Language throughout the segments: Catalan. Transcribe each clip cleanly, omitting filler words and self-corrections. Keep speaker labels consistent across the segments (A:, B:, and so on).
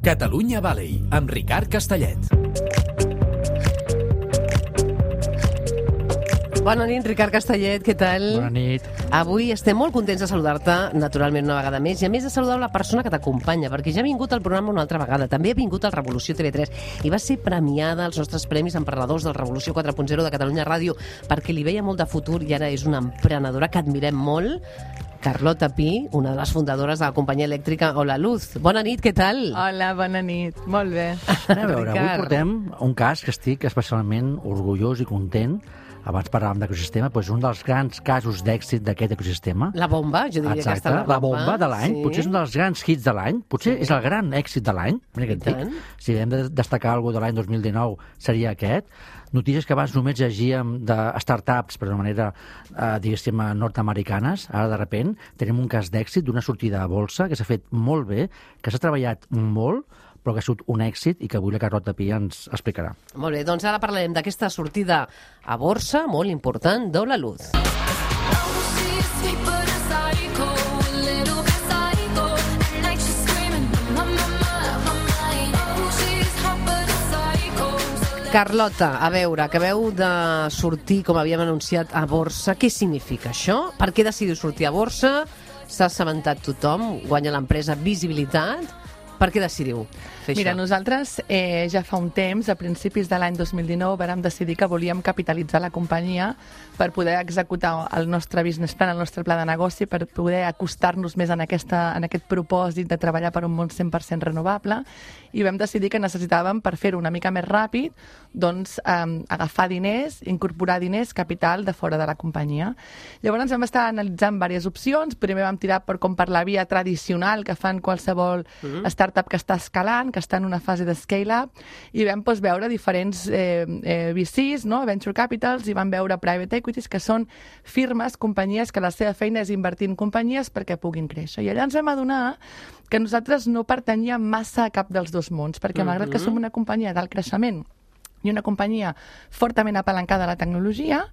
A: Catalunya Valley, amb Ricard Castellet.
B: Bona nit, Ricard Castellet, què tal?
C: Bona nit.
B: Avui estem molt contents de saludar-te, naturalment una vegada més, i a més de saludar la persona que t'acompanya, perquè ja ha vingut al programa una altra vegada, també ha vingut al Revolució TV3 i va ser premiada als nostres premis emprenedors del Revolució 4.0 de Catalunya Ràdio, perquè li veia molt de futur i ara és una emprenedora que admirem molt. Carlota Pi, una de les fundadores de la companyia elèctrica Hola Luz. Bona nit, què tal?
D: Hola, bona nit. Molt bé.
C: A veure, avui portem un cas que estic especialment orgullós i content. Abans parlàvem d'ecosistema, doncs un dels grans casos d'èxit d'aquest ecosistema.
B: La bomba, jo diria.
C: Exacte,
B: que està
C: la bomba de l'any.
B: Sí.
C: Potser és un dels grans hits de l'any. Potser és el gran èxit de l'any. Mira què et dic. Si hem de destacar alguna de l'any 2019 seria aquest. Notícies que abans només llegíem de startups, per una manera, diguéssim, nord-americanes. Ara, de repent, tenim un cas d'èxit d'una sortida a bolsa que s'ha fet molt bé, que s'ha treballat molt, però que ha sigut un èxit i que avui la Carlota Pi ens explicarà.
B: Molt bé, doncs ara parlarem d'aquesta sortida a borsa molt important d'Hola Luz. Carlota, a veure, acabeu de sortir, com havíem anunciat, a borsa. Què significa això? Per què decidiu sortir a borsa? S'ha assabentat tothom? Guanya l'empresa visibilitat? Per què decidiu fer
D: Mira,
B: això?
D: nosaltres ja fa un temps, a principis de l'any 2019, vàrem decidir que volíem capitalitzar la companyia per poder executar el nostre business plan, el nostre pla de negoci, per poder acostar-nos més en aquest propòsit de treballar per un món 100% renovable, i vam decidir que necessitàvem, per fer-ho una mica més ràpid, doncs agafar diners, incorporar diners, capital de fora de la companyia. Llavors vam estar analitzant diverses opcions. Primer vam tirar per la via tradicional que fan qualsevol startup que està escalant, que està en una fase de scale-up, i vam veure diferents VCs, no? Venture Capitals, i vam veure Private Equities, que són firmes, companyies, que la seva feina és invertir en companyies perquè puguin créixer. I allà ens vam adonar que nosaltres no pertanyíem massa a cap dels dos mons, perquè malgrat que som una companyia d'alt creixement i una companyia fortament apalancada a la tecnologia,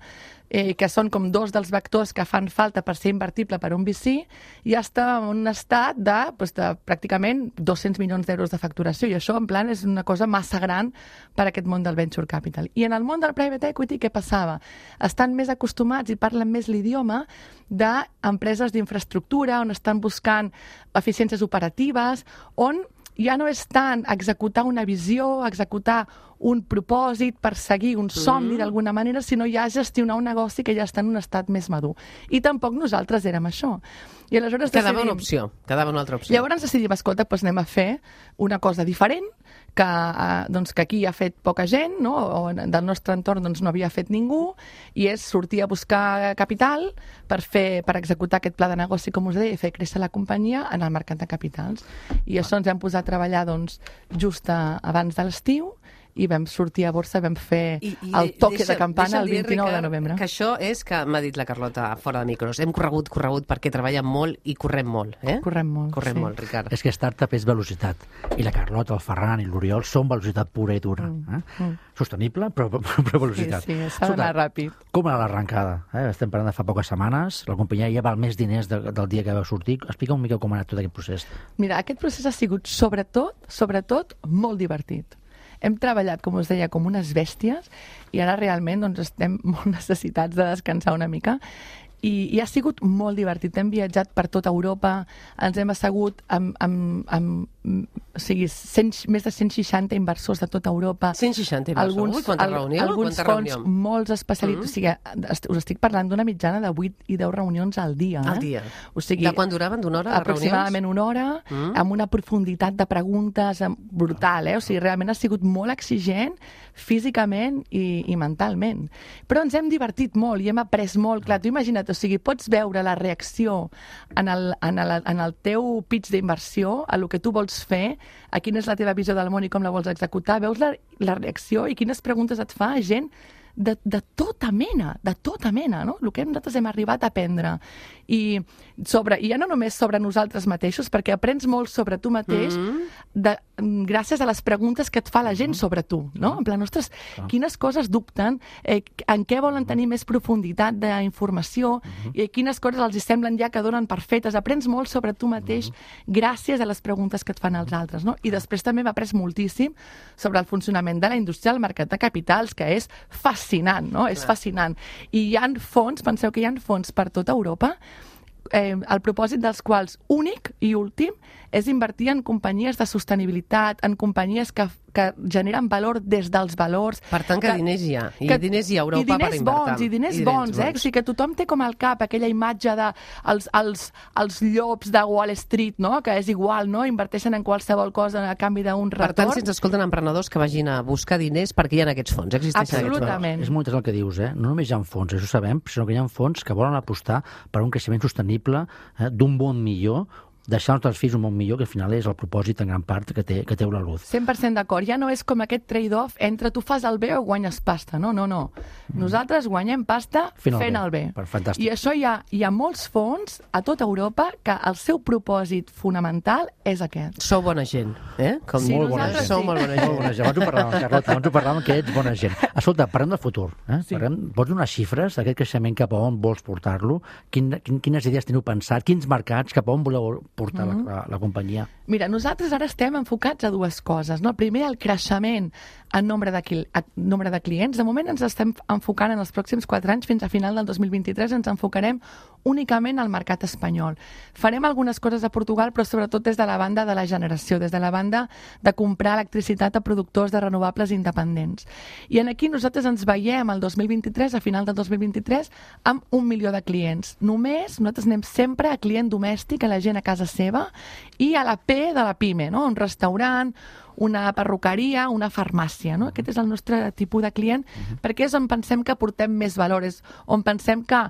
D: que són com dos dels vectors que fan falta per ser invertible per un VC, ja està en un estat de pràcticament 200 milions d'euros de facturació, i això en plan és una cosa massa gran per a aquest món del venture capital. I en el món del private equity què passava? Estan més acostumats i parlen més l'idioma d'empreses d'infraestructura, on estan buscant eficiències operatives, on ja no és tant executar una visió, executar un propòsit, perseguir un somni d'alguna manera, sinó ja gestionar un negoci que ja està en un estat més madur. I tampoc nosaltres érem això. I aleshores
B: Quedava una opció, quedava una altra opció.
D: Llavors decidim, escolta, doncs anem a fer una cosa diferent, que aquí ha fet poca gent, no? O del nostre entorn no havia fet ningú, i és sortir a buscar capital per executar aquest pla de negoci, com us deia, i fer créixer la companyia en el mercat de capitals. I això ens hem posat a treballar just abans de l'estiu, i vam sortir a borsa, vam fer el toque de campana el 29 de novembre.
B: Que això és que m'ha dit la Carlota fora de micros. Hem corregut perquè treballem molt i correm molt.
D: Correm molt,
B: correm molt, Ricard.
C: És que startup és velocitat. I la Carlota, el Ferran i l'Oriol són velocitat pura i dura. Sostenible, però velocitat.
D: Sí, s'ha d'anar ràpid.
C: Com era l'arrencada? Estem parlant de fa poques setmanes. La companyia ja val més diners del dia que vau sortir. Explica un mica com ha anat tot aquest procés.
D: Mira, aquest procés ha sigut sobretot molt divertit. Hem treballat, com us deia, com unes bèsties, i ara realment estem molt necessitats de descansar una mica. I ha sigut molt divertit. Hem viatjat per tota Europa, ens hem assegut amb més de 160 inversors de tota Europa.
B: 160 inversors? Quanta reunió?
D: Alguns fons molts especialitzats. O sigui, us estic parlant d'una mitjana de 8 i 10 reunions al dia.
B: Al dia?
D: O sigui,
B: de quan duraven? D'una hora de reunions?
D: Aproximadament una hora, amb una profunditat de preguntes brutal. O sigui, realment ha sigut molt exigent físicament i mentalment. Però ens hem divertit molt i hem après molt. Clar, tu imagina't, o sigui, pots veure la reacció en el teu pitch d'inversió, a lo que tu vols fer, a quina és la teva visió del món i com la vols executar, veus la reacció i quines preguntes et fa gent de tota mena, no? El que nosaltres hem arribat a aprendre. I ja no només sobre nosaltres mateixos, perquè aprens molt sobre tu mateix gràcies a les preguntes que et fa la gent sobre tu, no? En plan, ostres, quines coses dubten, en què volen tenir més profunditat d'informació, quines coses els semblen ja que donen per fetes. Aprens molt sobre tu mateix gràcies a les preguntes que et fan els altres, no? I després també m'ha après moltíssim sobre el funcionament de la indústria del mercat de capitals, que és fascinant, no? És fascinant. I hi ha fons, penseu que hi ha fons per tota Europa, el propòsit dels quals únic i últim és invertir en companyies de sostenibilitat, en companyies que generen valor des dels valors.
B: Per tant, que diners hi ha. I diners hi ha a Europa per invertir.
D: I diners bons. O sigui, que tothom té com al cap aquella imatge de els llops de Wall Street, no? Que és igual, no? Inverteixen en qualsevol cosa a canvi d'un retorn.
B: Per tant, si ens escolten emprenedors que vagin a buscar diners perquè hi ha aquests fons, existeixen aquests fons.
D: Absolutament.
C: És molt interessant el que dius, No només hi ha fons, això ho sabem, sinó que hi ha fons que volen apostar per un creixement sostenible d'un món millor, deixar els nostres fills un món millor, que al final és el propòsit en gran part que té la Luz.
D: 100% d'acord. Ja no és com aquest trade-off entre tu fas el bé o guanyes pasta. No. Nosaltres guanyem pasta fent el bé.
C: Fantàstic.
D: I això hi ha molts fons a tota Europa que el seu propòsit fonamental és aquest.
B: Sou bona gent, Com
D: Sí,
B: molt bona gent. Sou molt bona gent.
C: Molt bona gent. Abans ho parlàvem, Carlota, abans ho parlàvem que ets bona gent. Escolta, parlem del futur.
D: Sí.
C: Pots donar xifres d'aquest creixement cap a on vols portar-lo? Quines idees teniu pensat? Quins mercats? Cap a on voleu portar la companyia?
D: Mira, nosaltres ara estem enfocats a dues coses, no? Primer, el creixement en nombre de clients. De moment ens estem enfocant en els pròxims 4 anys, fins a final del 2023 ens enfocarem únicament al mercat espanyol. Farem algunes coses a Portugal, però sobretot des de la banda de la generació, des de la banda de comprar electricitat a productors de renovables independents. I aquí nosaltres ens veiem el 2023, a final del 2023, amb 1 milió de clients. Només nosaltres anem sempre a client domèstic, a la gent a casa seva, i a la P de la PIME, no? Un restaurant, una perruqueria, una farmàcia, no? Aquest és el nostre tipus de client, perquè és on pensem que aportem més valor, és on pensem que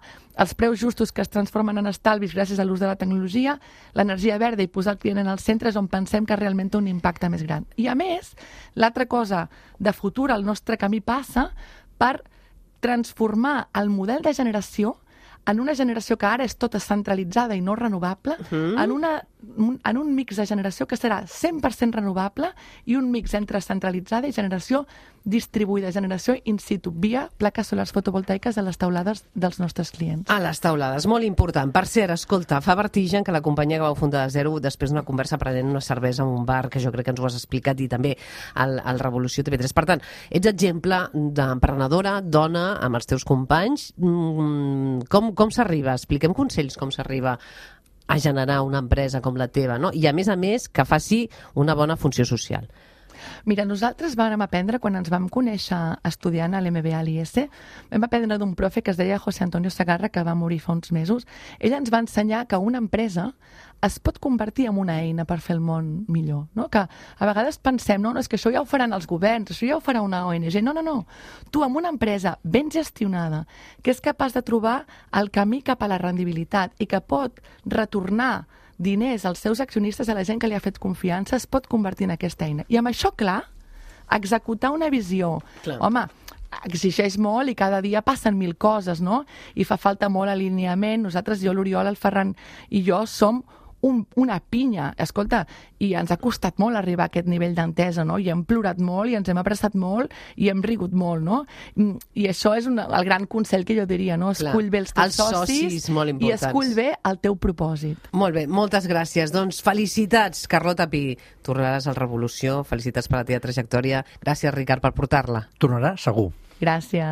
D: els preus justos que es transformen en estalvis gràcies a l'ús de la tecnologia, l'energia verda i posar el client en el centre és on pensem que realment té un impacte més gran. I a més, l'altra cosa de futur, el nostre camí passa per transformar el model de generació en una generació que ara és tota centralitzada i no renovable, en un mix de generació que serà 100% renovable i un mix entre centralitzada i generació distribuïda, generació in situ, via plaques solars fotovoltaiques a les teulades dels nostres clients.
B: A les teulades, molt important. Per cert, escolta, fa vertigen que la companyia que vau fundar de zero, després d'una conversa prenent una cervesa en un bar, que jo crec que ens ho has explicat, i també al Revolució TV3. Per tant, ets exemple d'emprenedora, dona, amb els teus companys. Com s'arriba? Expliquem consells com s'arriba a generar una empresa com la teva, no? I a més, que faci una bona funció social.
D: Mira, nosaltres vam aprendre, quan ens vam conèixer estudiant a l'MBA a l'IS, vam aprendre d'un profe que es deia José Antonio Segarra, que va morir fa uns mesos. Ell ens va ensenyar que una empresa es pot convertir en una eina per fer el món millor, no? Que a vegades pensem, no, és que això ja ho faran els governs, això ja ho farà una ONG. No. Tu, amb una empresa ben gestionada, que és capaç de trobar el camí cap a la rendibilitat i que pot retornar diners als seus accionistes, a la gent que li ha fet confiança, es pot convertir en aquesta eina. I amb això, clar, executar una visió, home, exigeix molt i cada dia passen 1000 coses, no? I fa falta molt alineament. Nosaltres, jo, l'Oriol, el Ferran i jo som una pinya, escolta, i ens ha costat molt arribar a aquest nivell d'entesa, no? I hem plorat molt, i ens hem abraçat molt, i hem rigut molt, no? I això és el gran consell que jo diria, no? Escull bé els teus socis i escull bé el teu propòsit.
B: Molt bé, moltes gràcies. Doncs felicitats, Carlota Pi. Tornaràs al Revolució, felicitats per la teva trajectòria. Gràcies, Ricard, per portar-la.
C: Tornarà segur.
D: Gràcies.